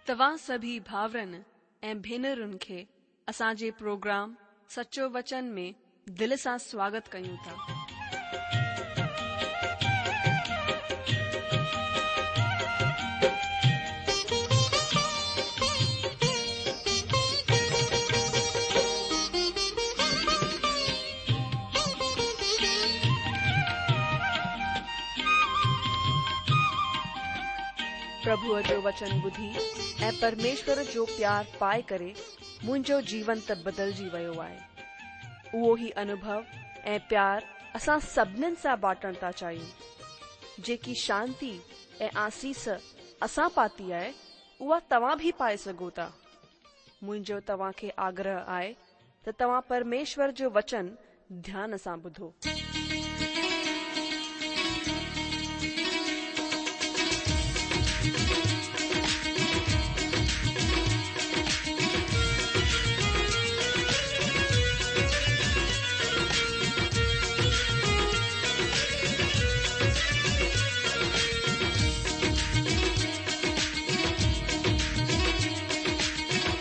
توهان سڀئي ڀاورن ۽ ڀينرن کي اسان جي پروگرام سچو وچن ۾ دل سان سواگت ڪيون ٿا. پرڀوء جو وچن ٻڌي ۽ پرميشور جو پيار پائي ڪري منهنجو جيون ته بدلجي ويو آهي. اهو ئي انوڀو ۽ پيار اسان سڀنين سان بانٽڻ ٿا چاهيون. جيڪي شانتي ۽ آسيس اسان پاتي آهي، اها توهان به پائي سگهو ٿا. منهنجو توهان کي آگرهه آهي ته توهان پرميشور جو وچن ڌيان سان ٻڌو.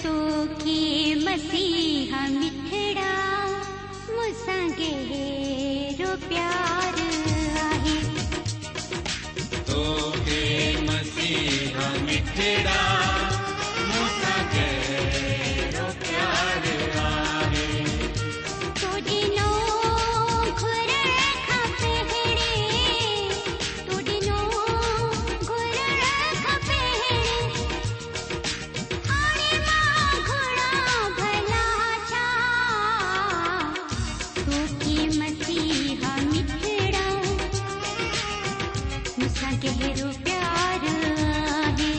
توکي مسيحا مٺڙا مون سان گهرو پيار آهي. توکي مسيحا مٺڙا مون سان گهرو پيار آهي. تو ڏنو گهرڻ کان پهرين، تو ڏنو گهرڻ کان پهرين، هاڻي مان گهران ڀلا ڇا؟ توکي مسيحا مٺڙا مون سان گهرو پيار آهي.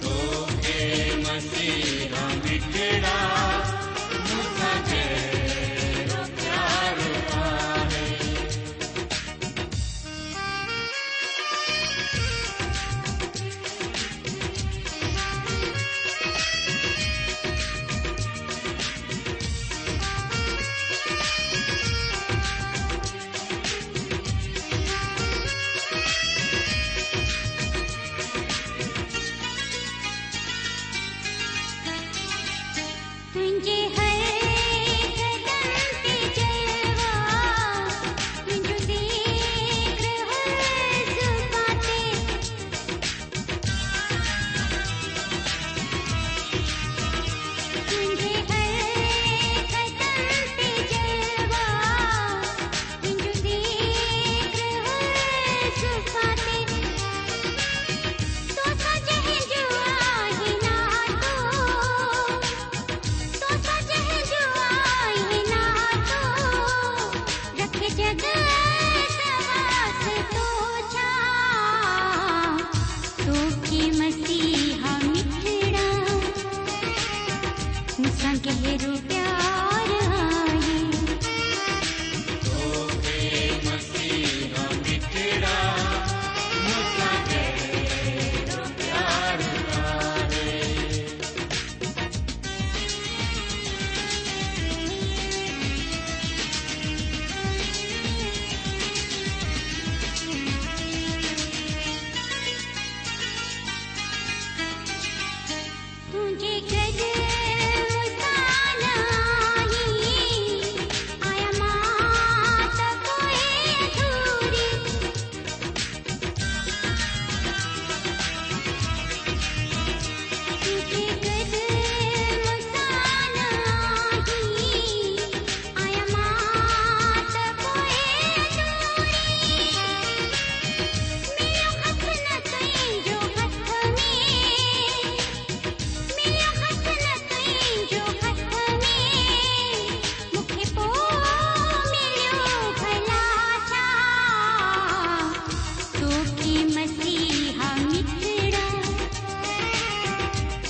توکي مسيحا مٺڙا مون سان گهرو پيار آهي. تنهنجي هر قدم تي جلوا، تنهنجو ذڪر هر زبان تي. تنهنجي هر قدم تي جلوا، تنهنجو ذڪر هر زبان تي. توسان جنهن جو آهي ناتو، توسان جنهن جو آهي ناتو، رکي جڳ ته واسطو ڇا؟ توکي مسيحا مٺڙا مون سان گهرو پيار آهي. توکي مسيحا مٺڙا مون سان گهرو پيار آهي. تنهنجي گڏ مون سان نه آهين، آهيان مان ته پوءِ اڌوري. تنهنجي گڏ مون سان نه آهين، آهيان مان ته پوءِ اڌوري. مليو هٿ نه تنهنجو هٿ ۾، مليو هٿ نه تنهنجو هٿ ۾، مون کي پوءِ مليو ڀلا ڇا؟ توکي مسيحا مٺڙا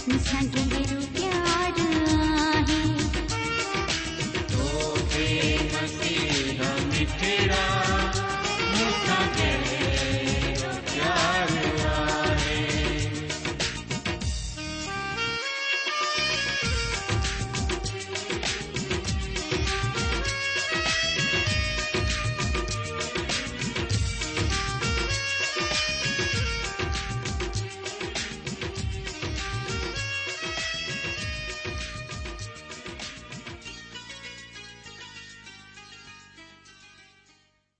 مون سان گهرو پيار آهي. توکي مسيحا مٺڙا مون سان گهرو پيار آهي.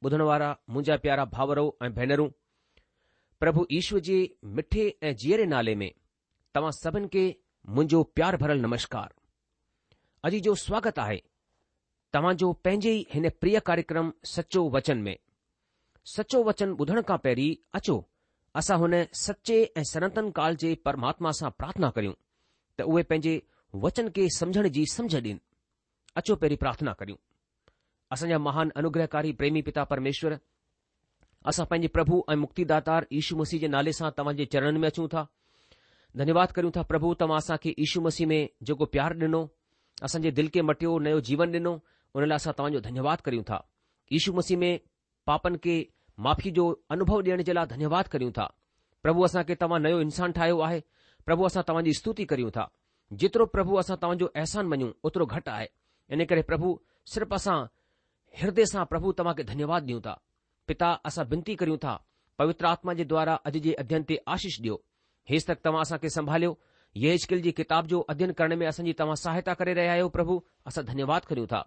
ٻڌڻ وارا منهنجا پيارا ڀائرو ۽ ڀينرون، پرڀو يشو جي مٺي ۽ جيئري نالي ۾ توهان سڀن کي منهنجو پيار ڀرل نمشڪار. اڄ جو سواگت آهي توهان جو پنهنجي ئي هن پريه ڪاريڪرم سچو وچن ۾. سچو وچن ٻڌڻ کان پهرين اچو اسان هن سچي ۽ سناتن ڪال جي پرماتما سان پرارٿنا ڪريون ته اهي پنهنجي وچن کي سمجهڻ جي سمجهه ڏين. اچو پهرين پرارٿنا ڪريون. اسان جا مهان انوگرهڪاري پريمي پتا پرميشور، اسان پنهنجي پرڀو ۽ مڪتيداتار يشو مسيح جي نالي سان توهان جي چرڻن ۾ اچون ٿا. ڌنيواد ڪريون ٿا پرڀو توهان اسان کي يشو مسيح ۾ جيڪو پيار ڏنو، اسان جي دل کي مٽيو، نيو جيون ڏنو، ان لاء اسان توهان جو ڌنيواد ڪريون ٿا. يشو مسيح ۾ پاپن کي معافي جو انوڀو ڏيڻ جي لاء ڌنيواد ڪريون ٿا. پرڀو اسان کي توهان نيو انسان ٺاهيو آهي. پرڀو اسان توهان جي استوتي ڪريون ٿا. جيترو پرڀو اسان توهان جو احسان مڃون اوترو گهٽ آهي. ان ڪري پرڀو صرف اسان هردي سان پرڀو توهان کي ڌنيواد ڏيون ٿا. پتا اسان بنتي ڪريون ٿا پوتر آتما جي دوارا اڄ جي اڌين تي آشيش ڏيو. هيستڪ توهان اسان کي سنڀاليو. يحزقيل جي ڪتاب جو اڌين ڪرڻ ۾ اسان جي توهان سهائتا ڪري رهيا آهيو پرڀو اسان ڌنيواد ڪريون ٿا.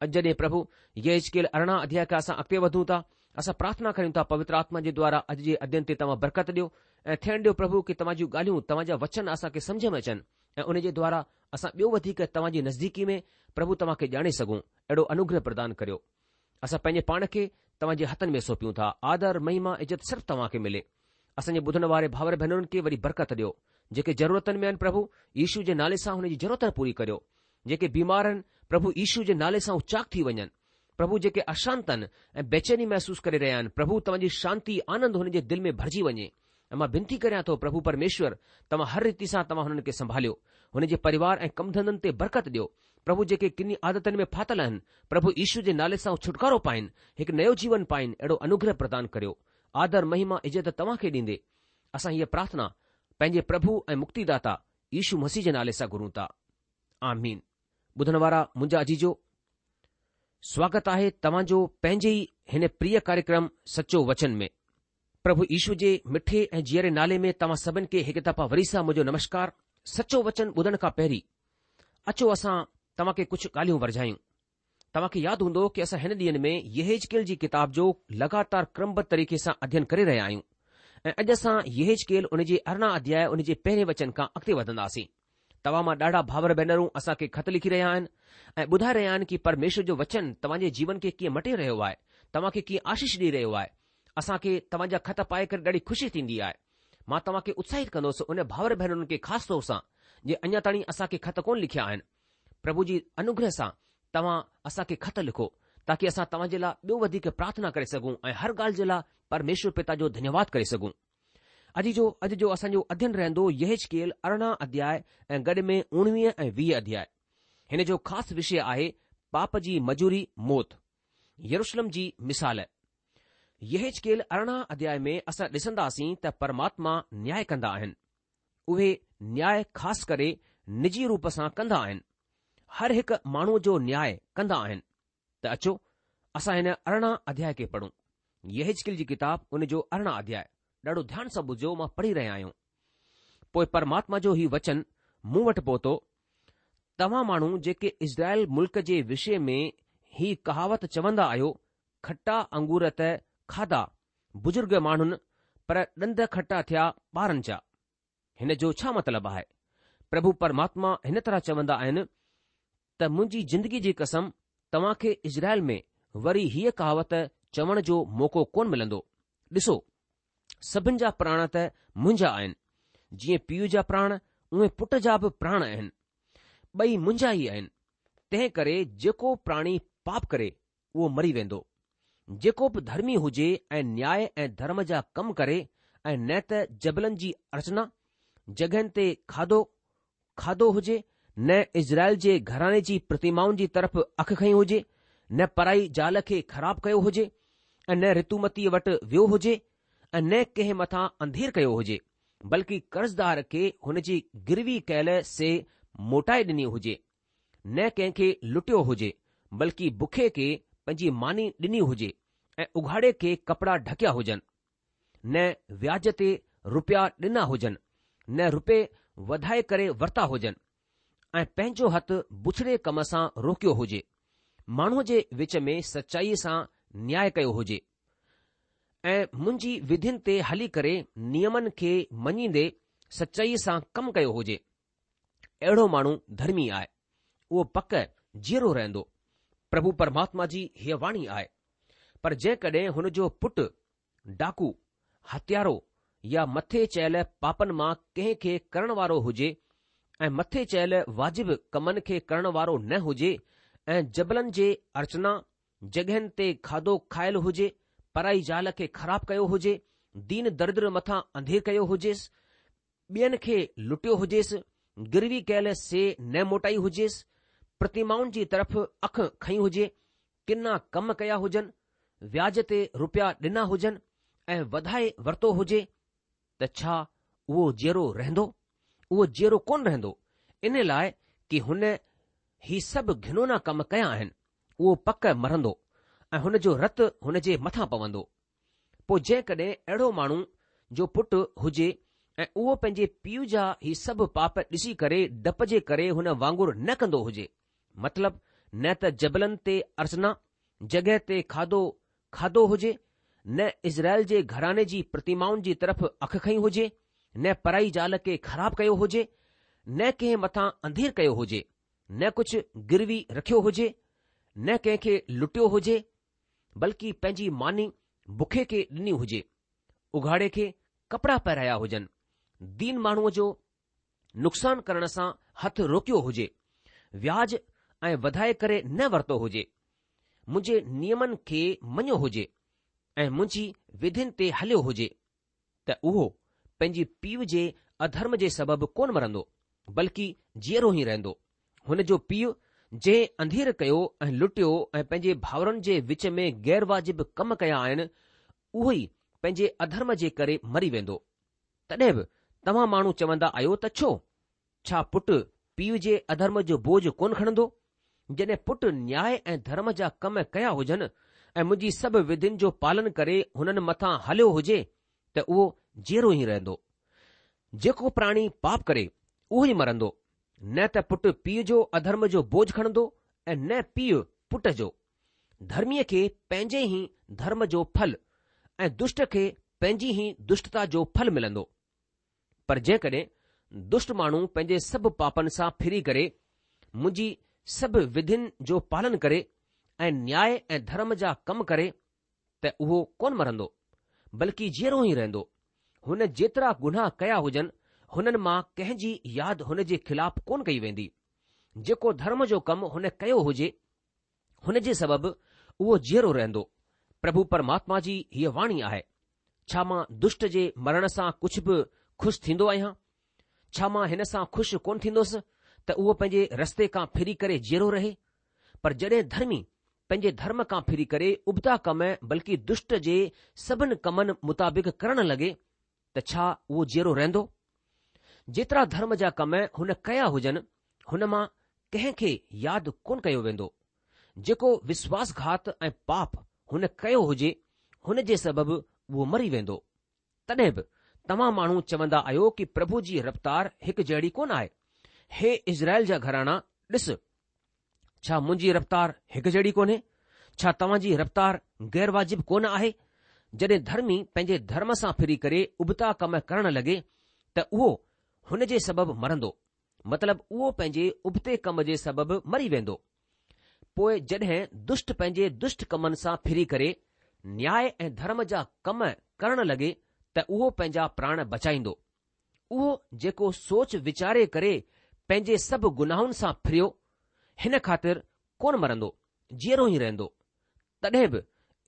اڄ جڏهن پرڀو يحزقيل 18 اڌياء کان اسان اڳتي وڌون ٿا اسان پرارٿنا ڪريون ٿا پوتر آتما جي دوارا اڄ جي اڌين تي توهان برڪت ڏيو ۽ ٿيڻ ڏيو پرڀو ڪي توهان جون ڳالهيون توهان جا وچن اسان کي سمجهه ۾ اچن ۽ ان جي دوارا اسان ٻيو وڌيڪ توهان جي نزديڪي ۾ پرڀو توهان کي ڄاڻي سگهون اهڙو انوگره پردان ڪريو. اسان پنهنجي پاڻ کي توهان جي هٿن ۾ سونپيون ٿا. آدر، مهما، عزت صرف توهان کي ملي. اسان جي ٻڌڻ واري ڀائر ڀينرن کي وڏي برڪت ڏيو. جيڪي ضرورتن ۾ آهن پرڀو يشو جي نالي سان هن جي ضرورت پوري ڪريو. جيڪي بيمار آهن پرڀو يشو جي نالي سان هو چاڪ ٿي وڃن. پرڀو جيڪي اشانت آهن ۽ بيچيني محسوس ڪري رهيا آهن پرڀو توهان جي شانتي آنند هن جي دل ۾ ڀرجي وڃي. ۽ مان بنتي ڪريان ٿو پرڀو پرميشور توهان هر ريتي سان توهان هنن کي سنڀاليو. هن جي پريوار ۽ ڪم ڌنڌن تي برڪت ڏيو. پرڀو جيڪي ڪني عادتن ۾ ڦاٿل آهن پرڀو يشو جي نالي سان هو ڇوٽڪارو پائين هڪ نيو جيون پائين اهڙو انوگره پردان ڪريو. آدر مهما عزت توهان کي ڏيندي اسان هيء پرارٿنا پنهنجي پرڀو ۽ مڪتيداتا يشو مسيح جي نالي سان گهرون ٿا. آمين. ٻڌڻ وارا منهنجا عزيزو سواگت آهي توهان جو پنهنجي ئي هن پريه ڪاريڪرم سچو وچن ۾. پرڀو يشو جي مٺي ۽ جيئري نالي ۾ توهان سڀن کي هڪ دفعا وري سان منهنجو نمشڪار. سچو وچن ٻڌڻ کان پهرين اچو اسان توهان کي ڪجهه ڳالهيون ورجايون. توهان کي ياد هوندو ڪي اسان هن ڏينهن ۾ يحيزڪيل جي ڪتاب جو لڳاتار ڪرمبڌ طريقي سان اڌين ڪري رهيا آهيون ۽ اڄ اسان يحيزڪيل ان جي 18 اڌياء ان جي پهرين وچن کان اڳتي وڌنداسين. توهان مان ڏاڍا ڀائر ڀينرون اسان کي خط لکي رهيا آهن ۽ ٻڌائي رهيا آهن ڪي پرميشور جو وچن توهان جي جيون کي ڪيئن مٽي رهيو آهي، توهان کي ڪيئن آشيش ڏئي رهيو آهي. اسان کي توهان جا خط پائي ڪري ڏاڍي خوشي ٿيندي آهي. مان توهان کي اتساهت ڪندس ان ڀائر ڀينرن کي خاص طور سان جي اڃا تاڻي اسان کي خط ڪونه لکيا آهن. پرڀو جي انوگره سان توهان اسان کي خط لکو تاڪي اسان توهان جي لاء ٻيو وڌيڪ پرارٿنا ڪري سگهون ۽ هر ڳالهه جي لاء پرميشور پتا جو ڌنيواد ڪري سگهون. اڄ جو اڄ جو اسان جو اڌين رهندو يحيزڪيل 18 اڌياء ۽ گڏ ۾ 19 ۽ 20 اڌياء. هن جو خاص وشيه آهي پاپ جي مجوري موت. يروشلم جي مثال. يحيزڪيل 18 اڌياء ۾ اسان ڏسنداسين ته پرماتما نياء ڪندا آهن. اهي نياء خاص ڪري نجي روپ سان ڪندا آهن. هر هڪ ماڻهوء جو نياء ڪندا آهن. ته اچو اسان هن 18 اڌياء کي پڙهون. يحيزڪيل جي ڪتاب ان جو 18 اڌياء. ڏاڍو ڌيان سان ٻڌجو مان پڙهي رهيا آهيون. پوء پرماتما جو هي وچن مون وٽ پهتو، توهان ماڻهو جيڪي اسرائيل ملڪ جي وشي ۾ هي ڪهاوت چوندا آهيو، کٽا انگور ته کاڌا بزرگ ماڻهن پر ڏند کٽا ٿيا ٻارن جا. هن جو ڇا مطلب آهي؟ پرڀو پرماتما هن طرح چوندا آهن ته منهنجي زندگي جي قسم توهان کي اسرائيل ۾ وري هيء ڪهاوت چوڻ جو موقعو ڪونه ملندو. ڏسو، سڀن جا پراڻ ته منهنجا آهن. جيئن پيء جا پراڻ اونئن پٽ جا به پراڻ آهن. ٻئي منهنجا ئي آهن. تنهن ڪري جيڪو پراڻي پاپ ڪري اهو مري ويندو. جيڪو به ڌرمي هجي ۽ نياء ۽ ڌرم جا ڪم ڪري ۽ نه ته جبلن جي ارچنا، جڳهين تي کاڌو کاڌو هجي، نه اسرائيل جي گهراڻي جي پرتمائن جي طرف اک کنئي هجي، نه پرائي زال کي خراب ڪيو هجي ۽ نه رتومتيء وٽ ويو هجي ۽ نه ڪنهن مٿان انڌير ڪيو هجي، بلڪ قرضدار کي هن جي گروي ڪيل شيء موٽائي ڏني هجي. نه ڪنهن کي لٽيو هجي، بلڪ بکي کي پنهنجي ماني ڏني هجي ۽ اگهاڙي کي ڪپڙا ڍڪيا هجن، نه وياج تي رپيا ڏنا هجن، نه رپئي وڌائي ڪري ورتا هجن ۽ پنهنجو هٿ بڇڙي ڪم سان روڪيو هجي. ماڻهوء جي وچ ۾ سچائيء سان نياء ڪيو هجي ۽ منهنجي وڌين تي هلي ڪري نيمن کي مڃيندي سچائيء سان ڪم ڪيو هجي. اهڙو ماڻهو ڌرمي آهي، اهو پڪ جيئرو رهندو. پرڀو پرماتما جي هيء واڻي آهي. پر جيڪڏهن هن جو پٽ ڊاڪو، هتيارو يا مٿي چيل پاپن مان ڪنهن کي ڪرڻ وارو هجي ۽ مٿي چيل واجب ڪمن کي ڪرڻ وارو نه هجي ۽ جبلن جي ارچنا جڳهين تي کاڌو کايل هجي، پرائي زال کي خراب ڪيو هجي، دين دردر مٿان انڌير ڪيو هجيس، ٻين کي لٽيو هجيس، گروي ڪيل شيء نه موٽائي هجيس، پرتمائن جي طرف اک کنئي هجي، ڪنا ڪم ڪيا هجن، وياج تي روپيا ڏنا هجن ۽ وڌائي ورتو هجي ته ڇا اهو جيئرو رهندو؟ اهو جيئرو ڪونه رهندو، ان لاء ڪي هن هي سڀ گهنونا ڪم ڪيا آهن، اهو پڪ مرندو ۽ هن جو رت هن جي مٿان پوندو. پوء جيڪڏهن اهڙو ماڻهو جو پٽ هجي ۽ اهو پنهنجي پيء جا هي سڀ پاپ ڏسي ڪري ڊپ جي ڪري هن وانگر نه ڪندو هجي، مطلب نه ته جبلن تي ارچنا جڳهه تي کاڌو کاڌو هجي، نه اسرائيل جي گهراڻي جي پرتمائن جي طرف اک کنئي هجي، نه پرائي زال کي خراب ڪيو هجي، نه ڪنهن مٿان انڌير ڪيو هجي، نه ڪجهه گروي رکيو هجي، نه ڪنهن کي لٽيو هجي، بلڪه پنهنجي ماني بکي کي ڏني هجي، اگهاڙي کي ڪپڙا پهرايا هجن، دين ماڻهوء جو نقصان ڪرڻ سان هٿ روڪيو هجي، وياج ۽ وڌائي ڪري نه ورتو هجي، منهنجي نيمن کي مڃيو هجي ۽ منهنجي وڌين تي هليو هجي. ته اهو پنهنجي پيء جي اڌرم جي سبب ڪونه مرندو، بلڪ جيئرو ئي رهندو. هن جو پيء جنهن انڌير ڪيو ۽ لٽيو ۽ پنهنجي ڀائرن جي وچ ۾ غير واجب ڪم ڪيا آهن، اهو ئي پنهنجي اڌرم جي ڪري مري ويندو. تڏهن به توهان ماڻهو چوندا آهيو ته ڇو؟ ڇا پٽ پيء جي اڌرم جو بوجه ڪونه کڻندو؟ جڏهن پٽ نياء ۽ ڌرم جا ڪم ڪيا هجن ۽ منهنجي سڀ وڌين جو پالن ڪري هنن مٿان هليو هجي ته اهو جيئرو ئي رهندو. جيڪو پراڻي پاپ ڪري اهو ئي مرندو. نه ته پٽ پيء جو اڌرم جو بوجه کڻندو ۽ نه پيء پٽ جو. ڌرميء کي پنهنجي ئي ڌرم جو ڦل ۽ دشٽ کي پنهنجي ئي دشٽتا جو ڦل ملندو. پر جيڪڏهن دشٽ ماڻهو پنهنجي سڀ پاپن سان ڦري ڪري منهنجي سڀ وڌين جو پالن ڪري ۽ نياء ۽ ڌرم جا ڪم ڪري ته اهو ڪونه مرندو، بلڪ جيئرو ئي رهندو. هن جيترا گناهه ڪيا هجن، هنن مان ڪنهن جي ياد هن جي خلاف ڪونه ڪئي ويندي. جيڪو ڌرم جو ڪم هن ڪيو هجي، هن جي سبب اهو جيئرو رهندو. پرڀو پرماتما جي هيء واڻي آهي. ڇا مان دشٽ جي مرڻ سان ڪجهه به خوش ٿيندو آهيان؟ ڇا مان هن سان خوش ڪونه ٿيندوس ته اهو پنهنجي رستي کان ڦري ڪري جيئرو رهي؟ پر جڏهن ڌرمي پنهنجي ڌرم کان ڦري ڪري ابتا ڪم بلڪه دشٽ جي سڀن ڪمن مطابق ڪرڻ لڳي ته ڇا اهو جيئرو رهندو؟ جيترا ڌرم جا ڪم هن ڪيا هجن، هن مان ڪنهن کي ياد ڪونه ڪيو ويندو. جيڪو وشواس گهات ۽ پاپ هن ڪيو هجي، هن جي سبب اهو مري ويندو. تڏهن به توهان ماڻهو چوندا آهيو ڪي پرڀو جي رفتار هڪ جهڙي ڪونه آهي. هي اسرائيل جا گهراڻا، ڏس! ڇا منهنجي رفتار هڪ جهڙي ڪونهي؟ ڇا توهان جي رفتار غير واجب ڪونه آهي؟ جڏهن ڌرمي پنهنجي ڌرم سان ڦري ڪري ابتا ڪم ڪرڻ لڳي ته اهو هن جي سبب مرندو، مطلب اهو پنهنجي ابتي ڪم جي سبب مري ويندو. پوء جڏهن دشٽ پنهنجي دشٽ ڪمن سان ڦري ڪري نياء ۽ ڌرم جا ڪم ڪرڻ لڳي ته اهو پنهنجا پراڻ بچائيندو. اهو جيڪو سوچ ويچاري ڪري پنهنجي سڀ گناهن سان ڦريو، هن خاطر ڪونه مرندو، جيئرو ئي رهندو. تڏهن به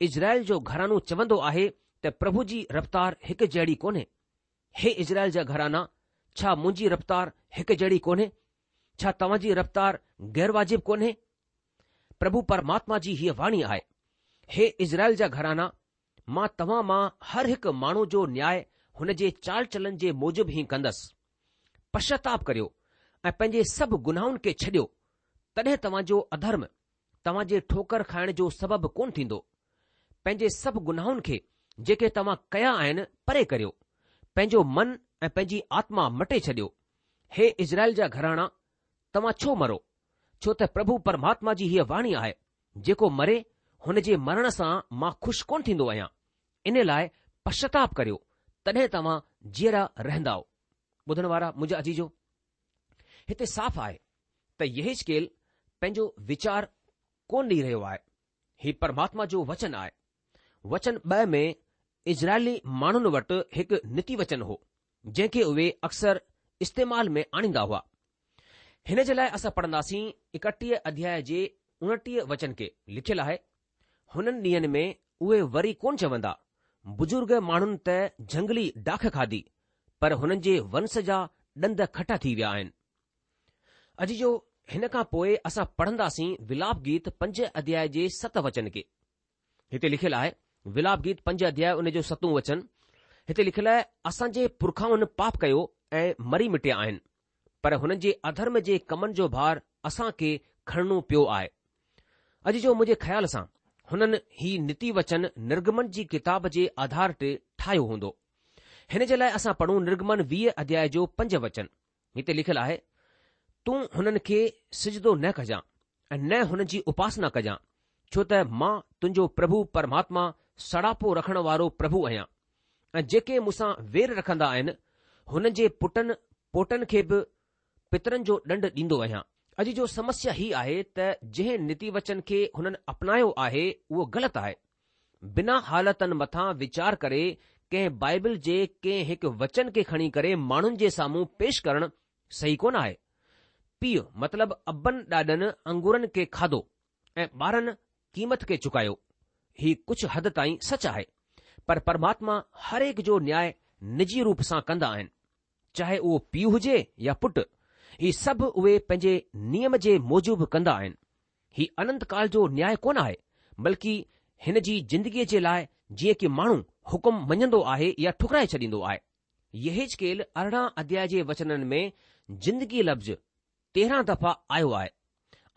اسرائيل جو گهراڻو چوندو آهي ته پرڀو جي رفتار هڪ جهڙي ڪونهي. هي اسرائيل جا گهرانا، ڇا منهنجي رفتار هڪ جهڙي ڪونهي؟ ڇا توهان جي رفتار غير واجب ڪونهي؟ پرڀو پرماتما جي هيء واڻي آهي، هي اسرائيل جا گهرانا، مان توهان مان هر هڪ ماڻهو جو نياء هن جي چال چلن جي موجب ئي ڪندس. پشچاتاپ ڪريو ۽ پنهنجي سڀ گناهن کي ڇڏيو، تڏهن توهان جو اڌرم توهان جي ٺوڪر کائڻ جو سبب ڪونه ٿيندو. پنهنجي سڀ گناهن کي جيڪي توهان ڪيا آهن پري ڪريو، پنهنجو من ۽ پنهنجي آتما مٽي ڇڏيو. هي اسرائيل جا گهراڻا، توهان ڇو مرو؟ ڇو ته پرڀو پرماتما جي هيء واڻي آهي، جيڪو مري، هن جي مرڻ سان مان خوش ڪونه ٿيندو آهيان. ان لاء پشچاتاپ ڪريو، تڏهن توهان جيئرا رهندائو. ٻڌڻ وارا منهنجا عزيزو! هتي صاف آهي ته يحيزڪيل پنهنجو ويچار ڪونه ڏئي رهيو آهي. هي پرماتما جو وچن آهي. وچن ٻه ۾ اسرائيلي ماڻهن وٽ هڪ نيتي وچن هو، جنهن کي اهي اڪثر استعمال ۾ آڻيندا هئا. هن جي لاء اسان پڙهنداسين ايڪٽيهه اڌياء جي اڻٽيهه وچن کي، لکيل آهي، هنن ڏينهن ۾ اهي وري ڪونه چوندا، بزرگ ماڻهن ته جهنگلي ڊاک کاڌي، پر هنن جي ونس جا ڏند کٽا ٿي ويا آهن. عزيزو، هن کان پوء اسان پڙهنداسين ولاپ گيت پنج اڌياء جي ست وچن کي. هتي لکيل آهي، ولاپ گيت پنج اڌياء ان جو ستون وچن، هتي لکيل آهي، اسان جي پرکائن پاپ ڪيو ۽ مري مٽيا آهن، پر هنن جي اڌرم جي ڪمن جو ڀار اسان کي کڻڻو پيو آهي. عزيزو منهنجي خيال سان هنن هي نيتي وچن نرگمن جي ڪتاب جي آڌار تي ٺاهيو هوندو. هن جي لاء اسان پڙهون نرگمن 20 اڌياء جو پنج وچن. هتي لکيل آهي، تون هنن کي سجدو نه ڪجان ۽ نه هنن جي اپاسنا ڪجان، ڇو ته مان تنهنجو پرڀو پرماتما سڙاپو رکڻ وارو پرڀو آهيان ۽ جيڪي مون سان وير رکندا آهن، هنن جي پٽن پوٽن کي به پترن جو ڏنڊ ڏيندو آهيان. عزيزو سمسيا هي آهي ته جنهن نيتي وچن کي هنن اپنايو آهي اهو غلط آهي. بنا حالتن مٿان ويچار ڪري ڪنهن بائبل جي ڪنهن هڪ وچن کي کڻي ڪري ماڻهن جي سامهون پيش ڪرڻ صحيح ڪونه آهي. پيء مطلب ابن ڏاڏن انگورن کي کاڌو ۽ ٻارن قيمت کي چڪايو. هي ڪجهه حد تائين سچ آهي. پر پرماتما هر هڪ جو نياء نجي روپ سان ڪندا آهن. چاهي اهو پيء هجي يا پٽ، هي سڀ اهي پنهنجي نيم جي موجب ڪندا آهن. هي اننت ڪال جو نياء ڪونه آهي، بلڪ هن جي زندگيء جي لاء جيئن ڪي ماڻهو حڪم مڃندو آهي يا ٺڪرائي ڇڏيندو آهي. يحيزڪيل 18 اڌياء جي وچنن ۾ زندگي لفظ 13 دفعا آيو آهي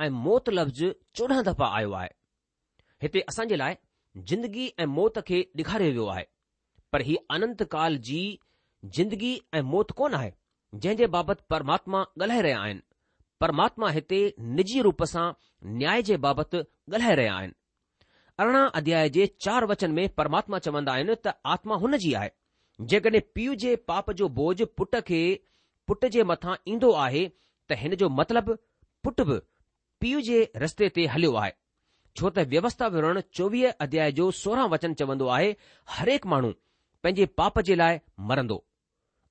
۽ موت لفظ 14 دفعا آيو آهي. هتي اسان جي لاء زندگي ۽ موت کي ڏيکاريو ويو آهي، پر هي اننت ڪال جي زندگي ۽ موت ڪونه آهي، جنهن جي بابت پرماتما ڳالهائي رهيا آهن. پرماتما هتي نجي روپ سان نياء جي بابت ڳالهائي رهيا آهن. 18 اڌياء جي چار وچن ۾ پرماتما چوندا آهن ته آتما هن جي آهي. جيڪڏهن پيء جي پاپ جو بوجه پٽ کي پٽ جي مٿان ايندو آهي ته هن جو مطلب پٽ به پيء جي رستي تي هليو آهي، ڇو ته ويوسٿا وورڻ 24 اڌياء جو 16 وچن چوندو آهي، هرهڪ ماڻهو پنهنجي پاپ جي لاء مرندو.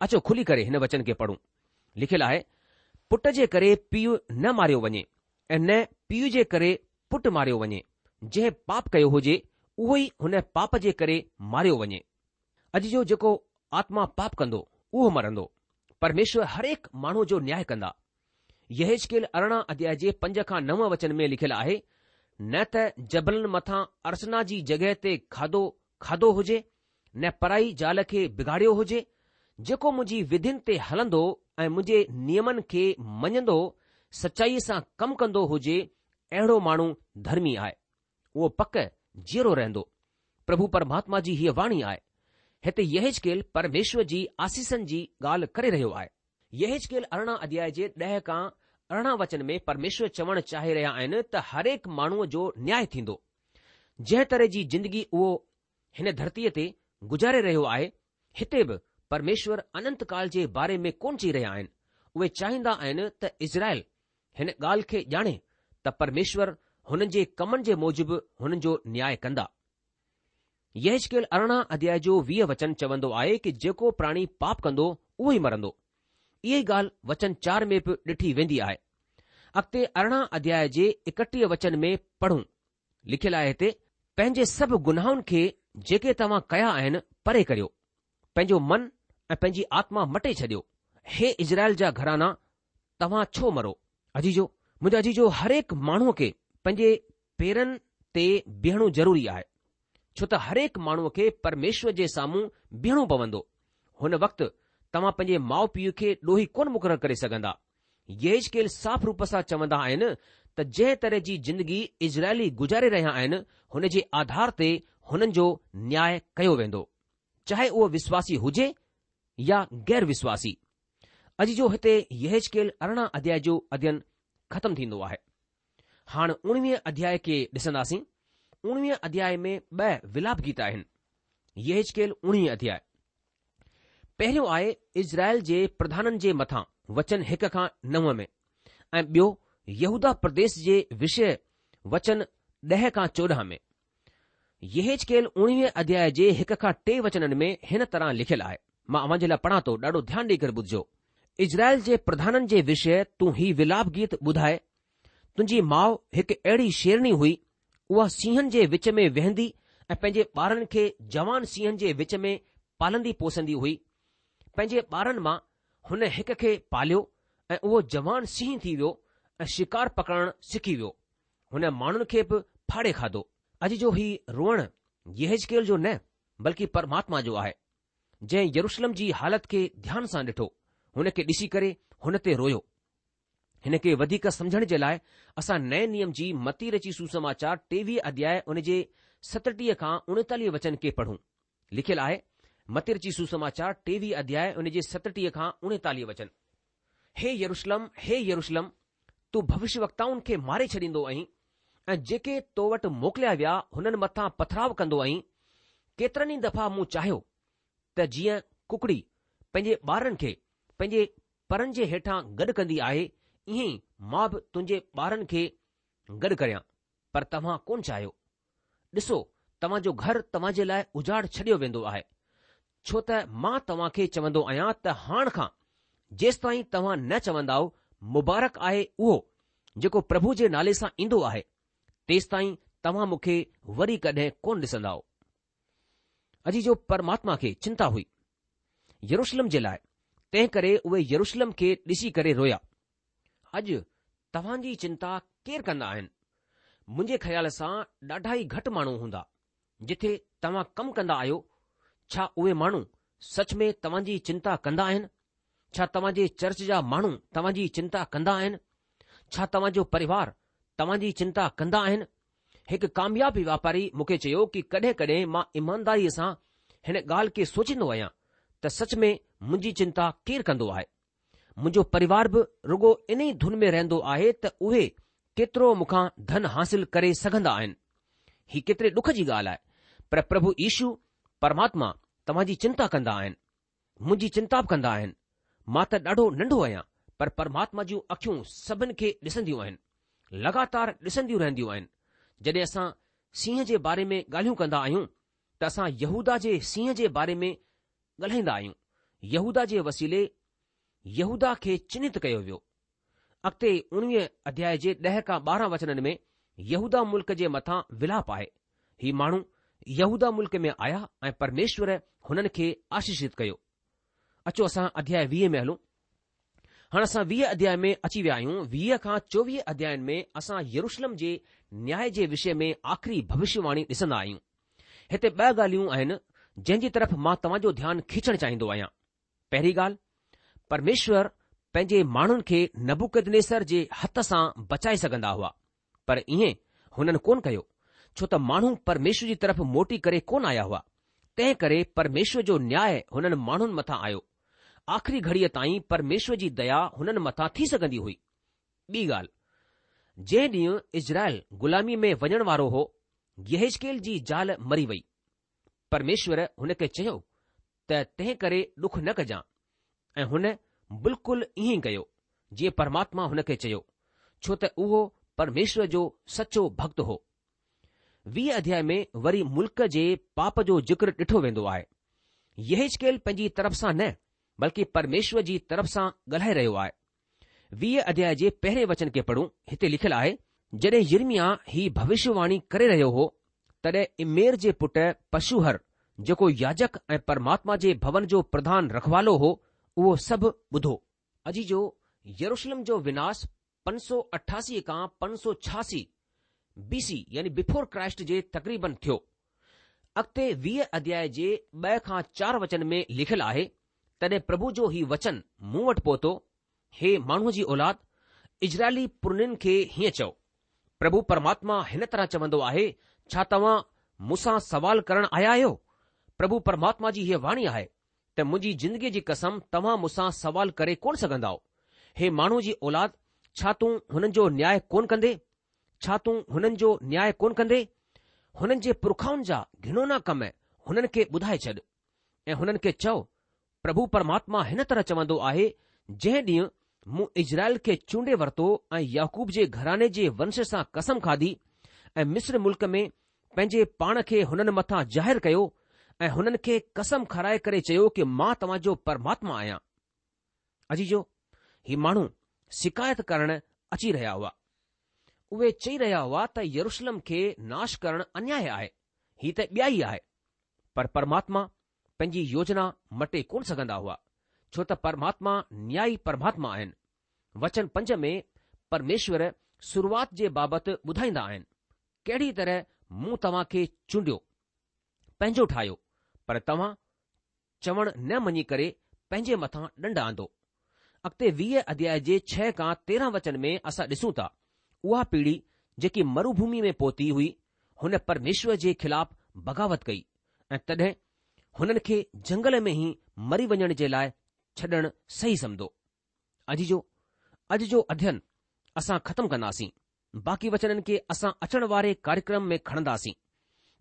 اچو کلي ڪري هن وچن کي پڙهون. لکيل آهي، پٽ جي ڪري پيء نه ماريو وڃي ۽ نه پيء جي ڪري پٽ ماريو وڃي، جنهن پاپ ڪيو هجي، اهو ئي هن پاپ جي ڪري ماريو وڃي. اڄ جو جيڪو آتما پاپ ڪندو، اهو مرندو. پرميشور هرهڪ ماڻهوء جو نياء ڪندا. يحيزڪيل 18 اڌياء جي 5 کان 9 وچن ۾ لکيل آهي، نه ته جبلن مٿان ارچنا جي جڳهه تي کاڌو کاڌو هجي، نه پرائي زال کي بگاڙيو هجي، جيڪو منهنجي وڌين تي هلندو ۽ منهنجي نيمن کي مڃندو، سچائيء سان ڪم ڪندو هجي، اهڙو ماڻهو ڌرمي آهي. اهو پڪ جيئرو رهندو. پرڀو پرماتما جي هيء واڻي آهي. هتي يحيزڪيل پرميشور جي آسيسن جي ڳالهه ڪري رهيو آهي. يحيزڪيل 18 اڌياء جي 10 کان 18 وچن ۾ پرميشور چوڻ چاهي رهيا آهن ته هرهڪ ماڻهوء جو نياء ٿيندو. جنهن طرح جي زندگي اهو هن ڌرتيء تي گذاري رهيو آهي، هتي به پرميشور اننت ڪال جي باري ۾ ڪونه چئي رهيا آهن. اهي چاهيندا آهن ته اسرائيل هن ڳالهه کي ڄاڻي ته پرميشور هنن جي ڪمن جي موجب هنن جو نياء ڪندا. يحيزڪيل 18 اڌياء جو 20 وچن چوندو آهي ڪي جيڪو پراڻي پاپ ڪندو اهو ئي مرندو. اها ئي ڳالهه وچن 4 ۾ به ڏٺي ويندي آهي. اڳتي 18 اڌياء جي 31 وچن ۾ پڙهون. لکيل آهي هتي، پنهنجي سڀ گناهن کي جيڪي توهان ڪيا آهن پري ڪريو، پنهنجو من ۽ پنهنجي آتما مٽي ڇڏيو، هي اسرائيل جا گهرانا توهان ڇو مرو؟ عزيزو، منهنجا عزيزو هرهڪ ماڻهوء کي پنهنجي پيرن تي بيهڻو ضروري آهي، ڇو ته هرهڪ ماڻهوء کي پرميشور جي سامهون بيهڻو پوندو. هن وقت توهان پنهنجي ماء پيء کي ڏوهي ڪونه مقرر ڪري سگهندا. يحيزڪيل صاف روپ سان چوندا آهن ته جنهن طرح جي زندگي اسرائيلي گذاري رهيا آهن، هن جي آڌار تي هنن جو نياء ڪيو ويندو، چاهي اهو وشواسي هجي يا غير وشواسي. عزيزو هتي يحيزڪيل 18 اڌياء جو اڌين ختم ٿيندو آهي. هاڻ 19 اڌياء کي ڏسنداسين. اڻويهه اڌياء ۾ ٻه ولاپ گيت آهن. يحيزڪيل اڻويهه اڌياء. پهريون آهي اسرائيل جي پرڌانن جي مٿان وچن هڪ کان نو ۾ ۽ ٻيو يهوداه پرديس جي وشيه وچن ڏهه کان 14 ۾. يحيزڪيل اڻويهه اڌياء جي هڪ کان ٽي وچنن ۾ هن طرح لکيل آهي، مان اوهان جي لاء پڙهان ٿو، ڏاڍو ڌيان ڏيئي ڪري ٻڌجو. اسرائيل جي پرڌانن جي وشيه تون هي ولاپ گيت ٻڌاء، تنهنجي ماء هڪ اهڙي شيرڻي هئي، اها سينهن جي وچ ۾ ويهندي ۽ پنهنجي ٻارن کي جوان سينهن جي وچ ۾ پالندي پوسندي هئي. پنهنجي ٻارن مان هن هڪ کي پاليو ۽ اهو جوان سينهن ٿي ويو ۽ شڪار پڪڙڻ سکي ويو. هن ماڻهن کي به ڦاڙي کاڌو. اڄ جو هي روئڻ يحيزڪيل جو نه بلڪه پرماتما جو آهي، جنهن يروشلم جي حالت کي ڌيان سان ڏٺو، هن کي ڏسي ڪري هن تي رويو. هن کي وڌيڪ سمجهڻ جي لاء اسان نئين نيم جي متي رچي سوسماچار ٽيويهه اڌياء ان جي ستٽيهه کان اڻيتاليهه وچن کي پڙهون. لکيل آهي، متي رچي سوسماچار ٽيويهه اڌياء ان جي ستٽيهه کان اڻيتاليهه وچن. هي يروشلم، هي يروشلم، تون ڀوشيوڪتائن کي ماري ڇڏيندو آهين ۽ جيڪي تو وٽ موڪليا ويا هنن مٿان پٿراء ڪندو آهين، ڪيترن ئي دفعا مون چاهيو ته جيئن ڪڪڙي پنهنجي ٻارن کي پنهنجي پرن جي هيٺان گڏ ڪندي آهي، ائين ئي مان به تنهنجي ٻارن کي گڏ ڪريان، پر توهان ڪونه چاهيو. ڏسو، توهان جو گهر توهان جي لاء اجاڙ ڇڏيو ويندو آهي، ڇو ته مان توهان کي چوندو آهيان ته هاڻ کان جيستائين توهان نه چوندائو، مبارڪ آهي اهو جيڪو پرڀو جي نالي سان ايندو آهي، تيستائين توهان مون کي وري ڪڏهن ڪونه ڏسندائو. عزيزو پرماتما کي چنتا هئي يروشلم جي لاء، تنهن ڪري اهي يروشلم کي ڏسي ڪري رويا. اڄ توهان جي چنتا ڪير ڪندا آهن؟ منهنجي خيال سان ڏاڍا ئي گهٽ ماڻهو هوندا. جٿي توهان ڪم ڪندا آهيو، ڇا اهي ماڻهو سچ ۾ توهان جي چنتا ڪندا آهن؟ ڇا توهان جي چرچ جا ماڻهو توهان جي چنتا ڪندا آهن؟ ڇا توهان جو پريوار توهان جي چنتا ڪندا آهن؟ هڪ ڪامياب واپاري مون کي چيو ڪي ڪڏهن ڪڏهن مان ايمانداريء سان هن ڳالهه کي سوچيندو آهيان ته سچ ۾ منهنجي چنتا ڪير ڪندو آهي؟ منهنجو پريوار به رڳو انهي ڌن ۾ رهندو آهي ته اهي ڪيترو مون کان ڌن حاصل ڪري سگهندا آهن. هي ڪيتري ڏک جي ڳالهه آهي، پر پرڀو يشو پرماتما توهان جي چنتا ڪندا آهن. منهنجي چنتا به ڪندا آهن. مان ته ڏاڍو ننڍو آهيان، پر پرماتما جون اکيون سڀن کي ڏسنديون آهن. لڳاتار ڏسنديون رهنديون آهن. جڏهن اسان سينهن جي باري ۾ ڳالهيون ڪندا آهيون ته اسان يهوداه جي سينهن جي باري ۾ ڳالهائيندا آهيون. يهوداه جي وسيلي يهوداه کي چنهت ڪيو ويو. اڳتي اڻويهه اڌياء جي ڏهه کان 12 وچنن ۾ يهوداه ملڪ جي مٿان ولاپ آهي. هي ماڻهو يهوداه ملڪ ۾ آيا ۽ پرميشور هنن کي آشيشت ڪيو. اچو اسان اڌياء 20 ۾ هلون. هاڻ اسان 20 اڌياء ۾ اچي ويا آهيون. 20 کان 24 اڌيائن ۾ اسان يروشلم جي نياء جي وشي ۾ آخري ڀوشيواڻي ڏسندا آهيون. هتي ٻه ڳالهيون آهن جنهن جي طرف مان توهان جو ڌيان کيچڻ چاهيندو آهيان. پهرين ڳالهه، پرميشور پنهنجي ماڻهن کي نبوڪدنيسر جي هٿ سان بچائي سگهندا هئا، پر ائين هنن ڪونه ڪيو، ڇو ته ماڻهو پرميشور جي طرف موٽي ڪري ڪونه آيا هئا، تنهن ڪري پرميشور جو نياء هنن ماڻهن مٿان آيو. آخري گهڙيء تائين پرميشور جي ديا هنن مٿان ٿي سگهندي هئي. ٻي ڳالهه، جنهن ڏينهن اسرائيل غلاميء ۾ وڃڻ وارو هو، يحيزڪيل جي زال مري وئي. پرميشور هن کي چيو ته تنهن ڪري ڏک نه ڪجان ۽ هن بلڪل ائين ئي ڪيو جيئن پرماتما هن کي چيو، ڇو ته اهو پرميشور جو سچو ڀڳت هو. 20 اڌياء ۾ وري ملڪ جي پاپ جو ذڪر ڏٺو ويندو آهي. يحيزڪيل پنهنجي طرف سان نه بلڪه پرميشور جي طرف سان ڳالهائي رهيو آهي. 20 اڌياء جي پهرين وچن کي پڙهون، هتي لکيل آهي. جڏهن يرمياه هي ڀوشيواڻي ڪري رهيو هو، تڏهن امير جي پٽ پشوهر، جيڪو ياجڪ ۽ پرماتما جي ڀون جو پرڌان رکوالو هو، اهو سڀ ٻڌو. عزيزو، يروشلم جو وناس 588 کان 586 بي سي يعني بفور ڪرائسٽ جي تقريبن ٿيو. اڳتي 20 اڌياء جي 2 کان 4 وچن ۾ لکيل آهي، تڏهن پرڀو جو هي وچن مون وٽ پهتو، هي ماڻهوء جي اولاد، اسرائيلي پرنين کي هيئن چئو، پرڀو پرماتما هن طرح چوندو آهي، ڇا توهان مون سان سوال ڪرڻ آيا آهيو؟ پرڀو پرماتما جي هيء واڻي آهي ته منهنجي زندگيء جي قسم توهان مون سان سوال ڪري ڪونه سگهندائو. هي ماڻهوء جي اولاد، ڇا تون هنن جو نياء ڪونه ڪندين؟ ڇا تون هنن جو نياء ڪونه ڪندين؟ هنن جي پرکائن جا گهنونا ڪم هنن کي ٻڌائي ڇڏ ۽ هنن کي چئو، پرڀو پرماتما هن طرح چوندو آهي، جنهن ڏينهن مون اسرائيل کي چونڊي ورتو ۽ يعقوب جي گهراڻي جي ونش سان قسم کاڌي ۽ مصر ملڪ ۾ پنهنجي پاڻ کي هنن مٿان ظاهر ڪيو ۽ هنن کي قسم کارائي ڪري چيو ڪه مان توهان جو پرماتما آهيان. عزيزو! هي ماڻهو شڪايت ڪرڻ اچي رهيا هئا. اهي چئي رهيا هئا ته يروشلم کي ناش ڪرڻ انياء آهي، هي ته ٻيائي آهي. پر پرماتما پنهنجي يوجنا مٽي ڪونه سگهندا هئا، ڇو ته پرماتما نيائي پرماتما آهن. وچن پنج ۾ پرميشور شروعات جي بابت ٻڌائيندا آهن، ڪهڙي طرح مون توهان کي چونڊيو، پنهنجو ٺاهيو، پر توهان چوڻ نه مڃي ڪري پنهنجي مٿان ڏنڊ آندو. اڳتي 20 اڌياء جي 6 کان 13 وچن ۾ اسان ڏسون ٿا، اها پيڙهي جيڪي مروڀومي ۾ پهتي هئي، هن پرميشور جي خلاف بغاوت ڪئي ۽ تڏهن هنن کي جهنگل ۾ ئي مري وڃڻ جي لاء ڇڏڻ صحيح سمجهو. عزيزو! اڄ جو اڌين اسان ختم ڪنداسين. باقي وچنن کي اسان اچڻ واري ڪاريڪرم ۾ کڻنداسين.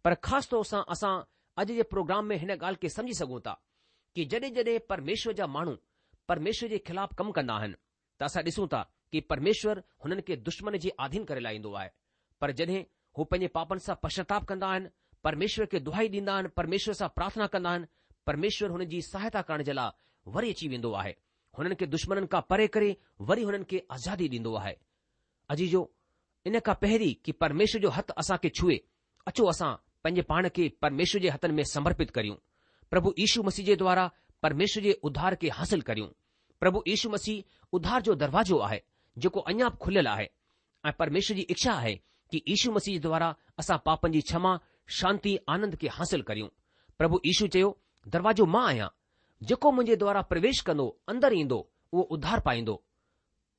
پر خاص طور سان اسان اڄ جي پروگرام ۾ هن ڳالهه کي سمجهي سگهون ٿا ڪي جڏهن جڏهن پرميشور جا ماڻهو پرميشور جي خلاف ڪم ڪندا آهن ته اسان ڏسون ٿا ڪي پرميشور هنن کي دشمن جي آڌين ڪري لاهيندو آهي پر جڏهن هو پنهنجي پاپن سان پشچاتاپ ڪندا آهن، پرميشور کي دهائي ڏيندا آهن، پرميشور سان پرارٿنا ڪندا آهن، پرميشور هنن جي سهائتا ڪرڻ جي لاء وري اچي ويندو آهي. هنن کي دشمنن کان پري ڪري وري هنن کي آزادي ڏيندو آهي. عزيزو! ان کان پهرين ڪي پرميشور جو هٿ اسان کي ڇهي، اچو اسان پنهنجي پاڻ کي پرميشور جي هٿن ۾ سمرپت ڪريون. پرڀو يشو مسيح جي دوارا پرميشور جي اڌار کي حاصل ڪريون. پرڀو يشو مسيح اڌار جو دروازو آهي، جيڪو اڃا به کليل آهي ۽ پرميشور جي اڇا آهي ڪي يشو مسيح جي دوارا اسان پاپن جي ڇما، شانتي، آنند کي حاصل ڪريون. پرڀو يشو چيو، دروازو مان آهيان. جيڪو منهنجي دوارا پرويش ڪندو، اندر ايندو، اهو اڌار پائيندو.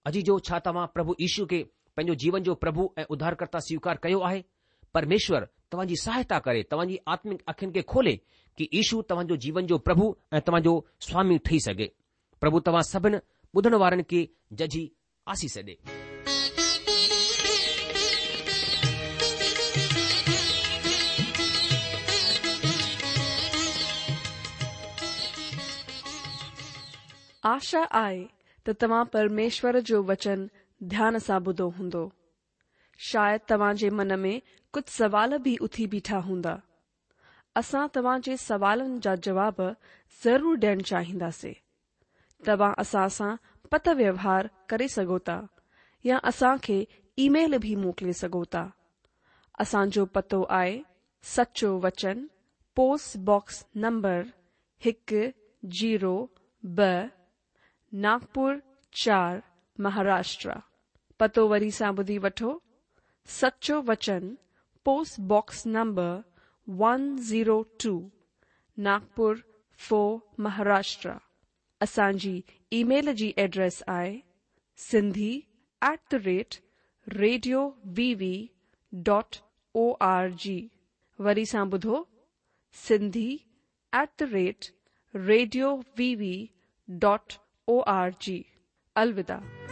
عزيزو، ڇا توهان پرڀو يشو کي پنهنجو جيون جو پرڀو ۽ اڌارڪرتا سويڪار ڪيو آهي؟ پرميشور توهان جي سهائتا ڪري، توهان جي آتمڪ اکين کي کولي ڪي يشو توهان جو جيون جو پرڀو ۽ توهان جو سوامي ٺهي سگهي. پرڀو توهان سڀن ٻڌڻ وارن کي ججهي آسيس ڏي. آشا آهي ته توهان پرميشور جو وچن ڌيان سان ٻڌو هوندو. شايد توهان جي من ۾ ڪجهه سوال به اٿي بيٺا هوندا. اسان توهان جي سوالن جا جواب ضرور ڏيڻ چاهينداسين. توهان اسان سان پتر ويوهار ڪري سگهو ٿا يا اسان کي اي ميل به موڪلي سگهو ٿا. اسان جو پتو آهي سچو وچن پوسٽ باڪس نمبر هڪ زيرو ٻه ناگپور چار مهاراشٽرا. پتو وري سان ٻڌي وٺو سچو وچن post box number one zero two Nagpur four Maharashtra. اسان جي اي ميل جي ايڊريس آهي Sindhi at the rate radio V V dot O R G وري سان ٻڌو Sindhi at the rate radio V V dot O R G الوداع.